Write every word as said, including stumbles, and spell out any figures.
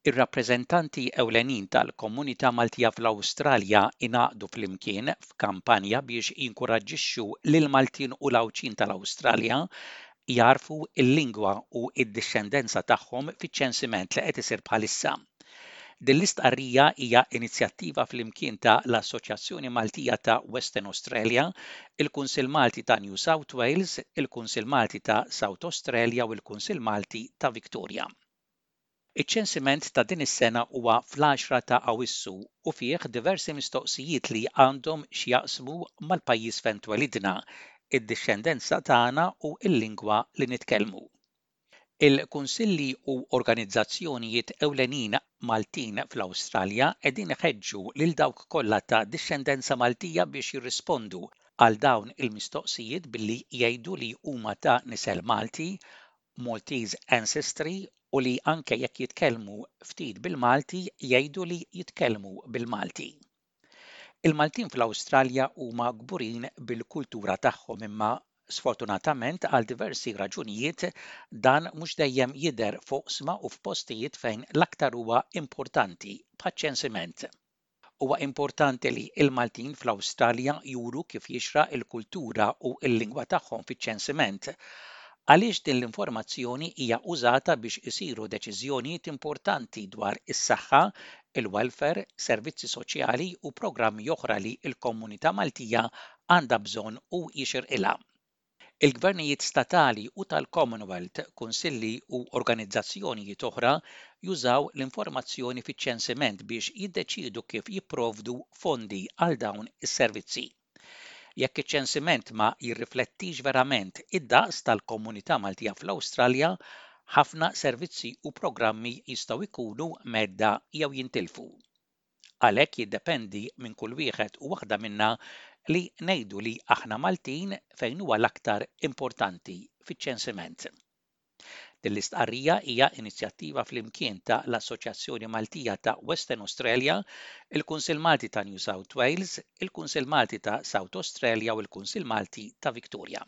Ir-rappreżentanti ewlenin tal-komunità Maltija fl-Awstralja ingħaqdu flimkien f'kampanja biex jinkoraġġixxu lil Maltin u l-Għawdxin tal-Awstralja jagħrfu l-lingwa u d-dixxendenza tagħhom fiċ-ċensiment li qed isir bħalissa. Din l-istqarrija hija inizjattiva flimkien ta' l-Assoċjazzjoni Maltija ta' Western Australia, il-Kunsill Malti ta' New South Wales, il-Kunsill Malti ta' South Australia u l-Kunsill Malti ta' Victoria. Iċ-ċensiment ta' din is-sena huwa fl-għaxra ta' Awwissu u fih diversi mistoqsijiet li għandhom x'jaqsmu mal-pajjiż fejn twelidna, id-dixxendenza tagħna u l-lingwa li nitkellmu. Il-kunsilli u organizzazzjonijiet ewlenin Maltin fl-Awstralja qegħdin iħeġġu lil dawk kollha ta' dixxendenza Maltija biex jirrispondu għal dawn il-mistoqsijiet billi jgħidu li huma ta' nisel Malti, Maltese ancestry, u li anke jekk jitkellmu ftit bil-Malti jgħidu li jitkellmu bil-Malti. Il-Maltin fl-Awstralja huma kburin bil-kultura tagħhom, imma sfortunatament għal diversi raġunijiet dan mhux dejjem jidher f'oqsma u f'postijiet fejn l-aktar huwa importanti, bħaċ-ċensiment. Huwa importanti li l-Maltin fl-Awstralja juru kif jixraq il-kultura u l-lingwa tagħhom fiċ-ċensiment, għaliex din l-informazzjoni hija użata biex isiru deċiżjonijiet importanti dwar is-saħħa, il-welfare, servizzi soċjali u programmi oħra li l-komunità Maltija għandha bżonn u jixirqilha. Il-gvernijiet statali u tal-Commonwealth, kunsilli u organizzazzjonijiet oħra jużaw l-informazzjoni fiċ-ċensiment biex jiddeċiedu kif jipprovdu fondi għal dawn is-servizzi. Jekk iċ-ċensiment ma jirriflettix verament id-daqs tal-komunità Maltija fl-Awstralja, ħafna servizzi u programmi jistgħu jkunu mhedda jew jintilfu. Għalhekk jiddependi minn kull wieħed u waħda minna li ngħidu li aħna Maltin fejn huwa l-aktar importanti, fiċ-ċensiment. Din l-istqarrija hija inizjattiva flimkien ta' l-Assoċjazzjoni Maltija ta' Western Australia, il-Kunsill Malti ta' New South Wales, il-Kunsill Malti ta' South Australia u l-Kunsill Malti ta' Victoria.